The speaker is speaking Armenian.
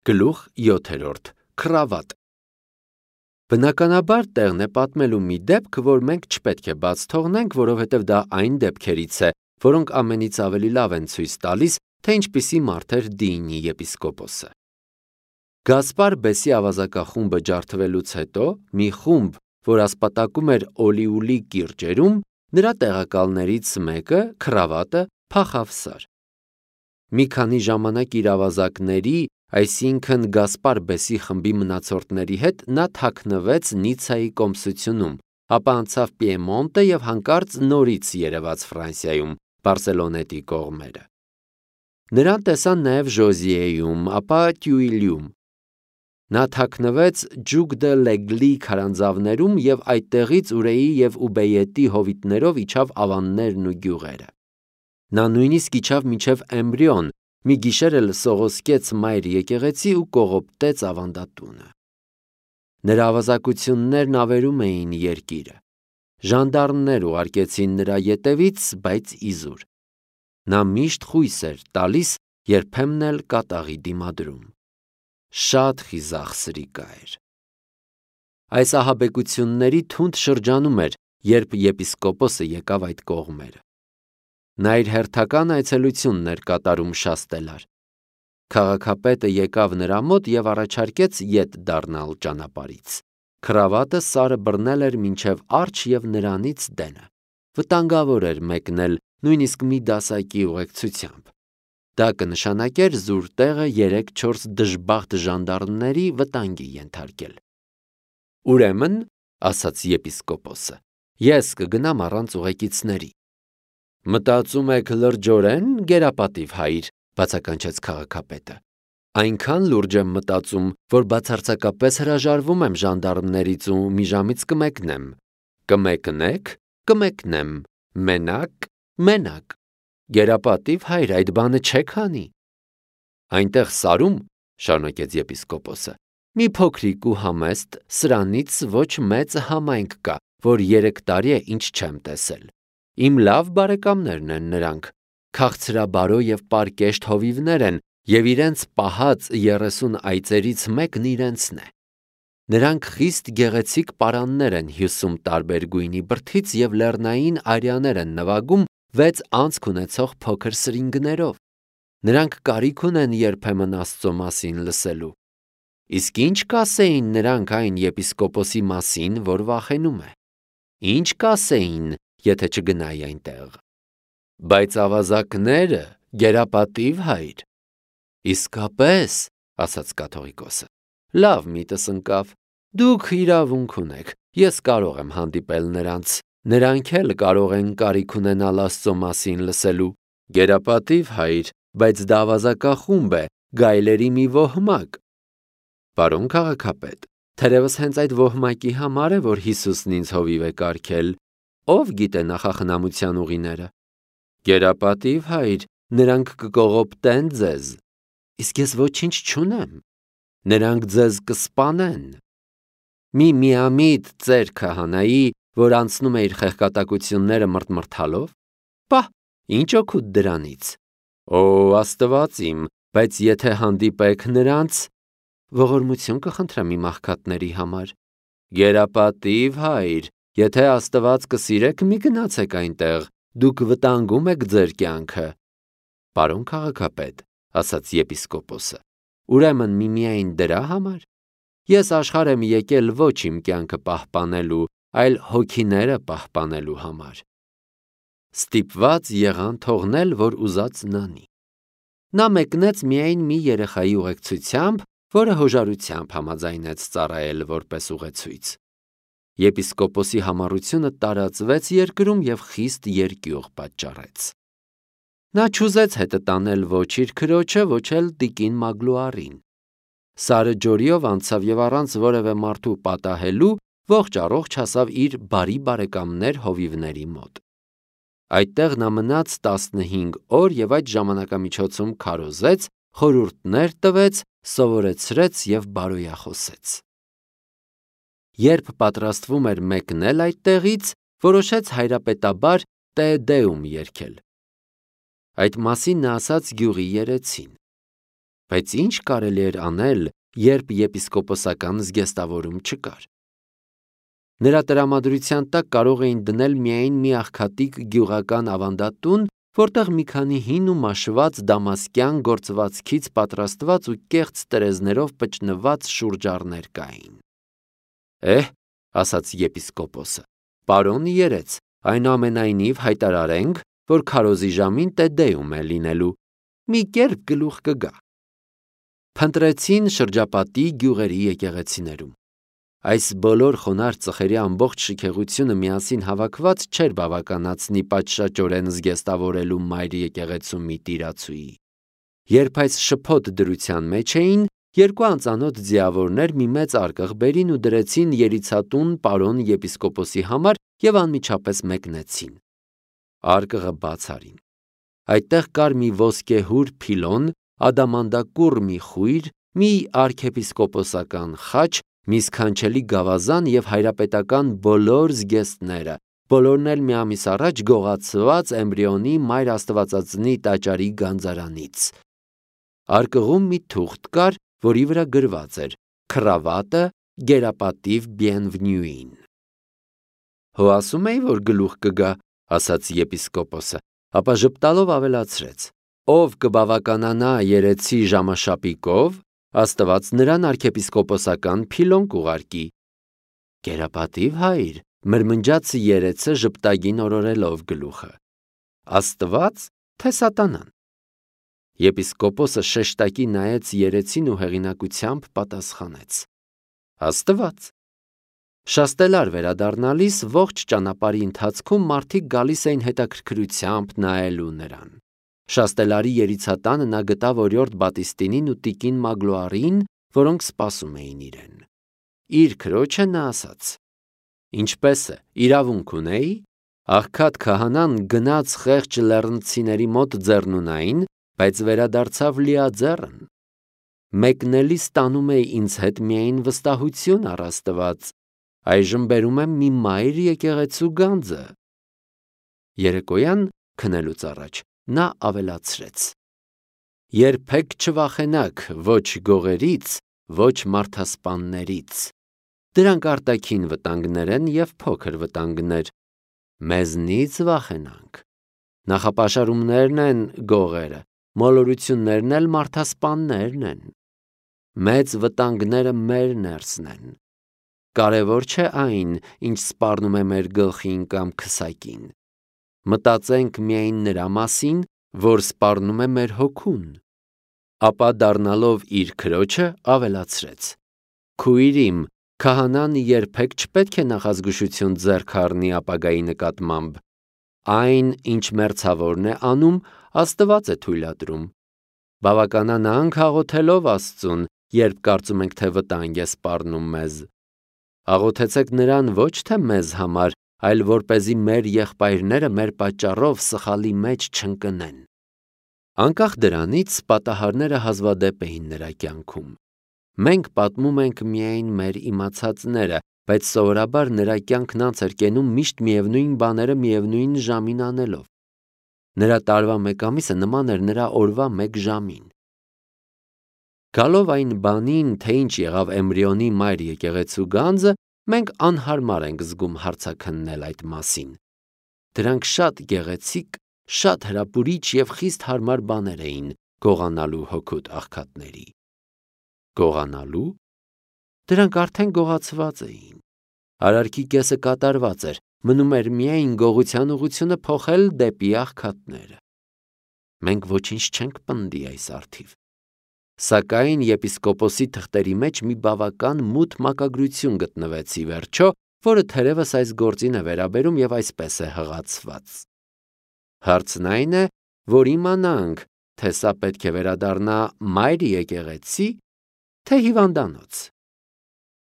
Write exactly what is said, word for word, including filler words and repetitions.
Գլուխ յոթերորդ. Քրավատ։ Բնականաբար տեղն է պատմելու մի դեպք, որ մենք չպետք է բաց թողնենք, որովհետև դա այն դեպքերից է, որոնք ամենից ավելի լավ են ցույց տալիս, թե ինչպիսի մարդ էր Դիինի եպիսկոպոսը։ Գասպար Բեսի ավազակախումբը ջարդվելուց հետո մի խումբ, որ ասպատակում էր Օլիուլի կիրճերում, նրա տեղակալներից մեկը, Քրավատը, փախավ Սար։ Մի քանի ժամանակ իր ավազակների, այսինքն Գասպար Բեսի խմբի մնացորդների հետ նա թաքնվեց Նիցայի կոմսությունում, ապա անցավ Պիեմոնտը և հանկարծ նորից երևաց Ֆրանսիայում, Բարսելոնետի կողմերը։ Նրան տեսան նաև Ժոզիեում, ապա Տյուիլյում։ Նա թաքնվեց Ջուկ դը Լեգլի քարանձավներում և այդտեղից Ուրեի և Ուբեյետի հովիտներով իջավ ավաններն ու գյուղերը։ Նա նույնիսկ իջավ մինչև Էմբրիոն, մի գիշեր էլ սողոսկեց մայր եկեղեցի ու կողոպտեց ավանդատունը։ Նրա ավազակություններն ավերում էին երկիրը։ Ժանդարմներ ուղարկեցին նրա ետևից, բայց իզուր։ Նա միշտ խույս էր տալիս, երբեմն էլ կատաղի դիմադրում։ Շատ խիզախ սրիկա էր։ Այս ահաբեկությունների թունդ շրջանում էր, երբ եպիսկոպոսը եկավ այդ կողմերը։ Նա իր հերթական այցելությունն էր կատարում Շաստելար։ Քաղաքապետը եկավ նրա մոտ և առաջարկեց ետ դառնալ ճանապարհից։ Քրավատը Սարը բռնել էր մինչև արջը և նրանից դենը։ Վտանգավոր էր մեկնել նույնիսկ մի դասակի ուղեկցությամբ։ Դա կնշանակեր զուր տեղը երեք-չորս դժբախտ ժանդարմների վտանգի ենթարկել։ Ուրեմն, ասաց եպիսկոպոսը, ես կգնամ առանց ուղեկիցների։ Մտածում եք լրջորեն, գերապատիվ հայր, բացականչեց քաղաքապետը։ Այնքան լուրջ եմ մտածում, որ բացարձակապես հրաժարվում եմ ժանդարմներից ու մի ժամից կմեկնեմ։ Կմեկնեք, կմեկնեմ, մենակ, մենակ։ Գերապատիվ հայր, այդ բանը չեք անի։ Այնտեղ Սարում, շարունակեց եպիսկոպոսը, մի փոքրիկ ու համեստ, սրանից ոչ մեծ համայնք կա, որ երեք տարի է ինչ չեմ տեսել։ Իմ լավ բարեկամներն են նրանք, քաղցրաբարո և պարկեշտ հովիվներ են, և իրենց պահած երեսուն այծերից մեկն իրենցն է։ Նրանք խիստ գեղեցիկ պարաններ են հյուսում տարբեր գույնի բրդից և լեռնային արյաներ են նվագում վեց անցք ունեցող փոքր սրինգներով։ Նրանք կարիք ունեն երբեմն Աստծո մասին լսելու։ Իսկ ինչ կասեին նրանք այն եպիսկոպոսի մասին, որ վախենում է։ Ինչ կասեին, եթե չգնայի այնտեղ։ Բայց ավազակները, գերապատիվ հայր։ Իսկապես, ասաց կաթողիկոսը, լավ միտս ընկավ։ Դուք իրավունք ունեք, ես կարող եմ հանդիպել նրանց, նրանք էլ կարող են կարիք ունենալ Աստծո մասին լսելու։ Գերապատիվ հայր, բայց դա ավազակախումբ է, գայլերի մի ոհմակ։ Պարոն քաղաքապետ, թերևս հենց այդ ոհմակի համար է, որ Հիսուսն ինձ հովիվ է կարգել, ով գիտե նախախնամության ուղիները։ Գերապատիվ հայր, նրանք կկողոպտեն ձեզ։ Իսկ ես ոչինչ չունեմ։ Նրանք ձեզ կսպանեն։ Մի միամիտ ծեր քահանայի, որ անցնում է իր խեղկատակությունները մրթմրթալով։ Պահ, ինչ օգուտ դրանից։ Օ, Աստված իմ, բայց եթե հանդիպեք նրանց, ողորմություն կխնդրեմ իմ աղքատների համար։ Գերապատիվ հայր, եթե Աստված կսիրեք, մի գնացեք այնտեղ, դուք վտանգում եք ձեր կյանքը։ Պարոն քաղաքապետ, ասաց եպիսկոպոսը, ուրեմն միմիայն դրա համար։ Ես աշխարհ եմ եկել ոչ իմ կյանքը պահպանելու, այլ հոգիները պահպանելու համար։ Ստիպված եղան թողնել, որ ուզածն անի։ Նա մեկնեց միայն մի երեխայի ուղեկցությամբ, որը հոժարությամբ համաձայնեց ծառայել որպես ուղեցույց։ Եպիսկոպոսի համառությունը տարածվեց երկրում և խիստ երկյուղ պատճառեց։ Նա չուզեց հետը տանել ոչ իր քրոջը, ոչ էլ տիկին Մագլուարին։ Սարը ջորիով անցավ և առանց որևէ մարդու պատահելու ողջ առողջ հասավ իր բարի բարեկամներ հովիվների մոտ։ Այդտեղ նա մնաց տասնհինգ օր և այդ ժամանակամիջոցում քարոզեց, խորհուրդներ տվեց, սովորեցրեց և բարոյախոսեց։ Երբ պատրաստվում էր մեկնել այդտեղից, որոշեց հայրապետաբար Տե Դեում երգել։ Այդ մասին նա ասաց գյուղի երեցին։ բայց ինչ կարելի էր անել, երբ եպիսկոպոսական զգեստավորում չկար։ Նրա տրամադրության տակ կարող էին դնել միայն մի աղքատիկ գյուղական ավանդատուն, որտեղ մի քանի հին ու մաշված դամասկյան գործվածքից պատրաստված ու կեղծ տրեզներով պճնված շուրջառներ կային։ Էհ, ասաց եպիսկոպոսը, պարոն երեց, այնուամենայնիվ հայտարարենք, որ քարոզի ժամին տեդեում է լինելու, մի կերպ գլուխ կգա։ Փնտրեցին շրջապատի գյուղերի եկեղեցիներում։ Այս բոլոր խոնարհ ծխերի ամբողջ շքեղությունը միասին հավաքված չէր բավականացնի պատշաճորեն զգեստավորելու մայր եկեղեցու մի տիրացուի։ Երբ այս շփոթ դրության մեջ էին, երկու անծանոթ ձիավորներ մի մեծ արկղ բերին ու դրեցին երիցատուն պարոն եպիսկոպոսի համար և անմիջապես մեկնեցին։ Արկղը բաց արին։ Այդտեղ կար մի ոսկեհուր փիլոն, ադամանդակուռ մի խույր, մի արքեպիսկոպոսական խաչ, մի սքանչելի գավազան և հայրապետական բոլոր զգեստները, բոլորն էլ մի ամիս առաջ գողացված էմբրիոնի մայր աստվածածնի տաճարի գանձարանից։ Արկղում մի թուղթ կար, որի վրա գրված էր «Քրավատը գերապատիվ Բիենվնյուին»։ Հո ասում էի, որ գլուխ կգա, ասաց եպիսկոպոսը, ապա ժպտալով ավելացրեց. ով կբավականանա երեցի ժամաշապիկով, Աստված նրան արքեպիսկոպոսական փիլոն կուղարկի։ Գերապատիվ հայր, մրմնջաց երեցը ժպտագին օրորելով գլուխը։ Աստված, թե սատանան։ Եպիսկոպոսը շեշտակի նայեց երեցին ու հեղինակությամբ պատասխանեց. Աստված։ Շաստելար վերադառնալիս ողջ ճանապարհի ընթացքում մարդիկ գալիս էին հետաքրքրությամբ նայելու նրան։ Շաստելարի երիցատանը նա գտավ օրիորդ Բատիստինին ու տիկին Մագլոարին, որոնք սպասում էին իրեն։ Իր քրոջը նա ասաց. Ինչպես է, իրավունք ունեի։ Աղքատ քահանան գնաց խեղճ լեռնցիների մոտ ձեռնունային, բայց վերադարձավ լիաձեռն։ Մեկնելիս տանում էի ինձ հետ միայն վստահություն առ Աստված, այժմ բերում եմ մի մայր եկեղեցու գանձը։ Երեկոյան քնելուց առաջ նա ավելացրեց. Երբեք չվախենաք ոչ գողերից, ոչ մարդասպաններից։ Դրանք արտաքին վտանգներ են և փոքր վտանգներ։ Մեզնից վախենանք։ Նախապաշարումներն են գողերը, մոլորություններն էլ մարդասպաններն են։ Մեծ վտանգները մեր ներսն են։ Կարևոր չէ այն, ինչ սպառնում է մեր գլխին կամ քսակին։ Մտածենք միայն նրա մասին, որ սպառնում է մեր հոգուն։ Ապա դառնալով իր քրոջը ավելացրեց. Քույր իմ, քահանան երբեք չպետք է նախազգուշություն ձեռք առնի ապագայի նկատմամբ։ Այն, ինչ մերձավորն է անում, Աստված է թույլատրում։ Բավականանանք աղոթելով Աստծուն, երբ կարծում ենք, թե վտանգ է սպառնում մեզ։ Աղոթեցեք նրան ոչ թե մեզ համար, այլ որպեսզի մեր եղբայրները մեր պատճառով սխալի մեջ չընկնեն։ Անկախ դրանից, պատահարները հազվադեպ էին նրա կյանքում։ Մենք պատմում ենք միայն մեր իմացածները, բայց սովորաբար նրա կյանքն անց էր կենում միշտ միևնույն բաները միևնույն ժամին անելով։ Նրա տարվա մեկ ամիսը նման էր նրա օրվա մեկ ժամին։ Գալով այն բանին, թե ինչ եղավ էմբրիոնի մայր եկեղեցու գանձը, մենք անհարմար ենք զգում հարցաքննել այդ մասին։ Դրանք շատ գեղեցիկ, շատ հրապուրիչ և խիստ հարմար բաներ էին գողանալու հոգուտ աղքատների։ Գողանալու։ Դրանք արդեն գողացված էին։ Արարքի կեսը կատարված էր, մնում էր միայն գողության ուղղությունը փոխել դեպի աղքատները։ Մենք ոչինչ չենք պնդի այս առթիվ։ Սակայն եպիսկոպոսի թղթերի մեջ մի բավական մութ մակագրություն գտնվեց ի վերջո, որը թերևս այս գործին է վերաբերում և այսպես է հղացված։ Հարցն այն է, որ իմանանք, թե սա պետք է վերադառնա մայր եկեղեցի, թե հիվանդանոց։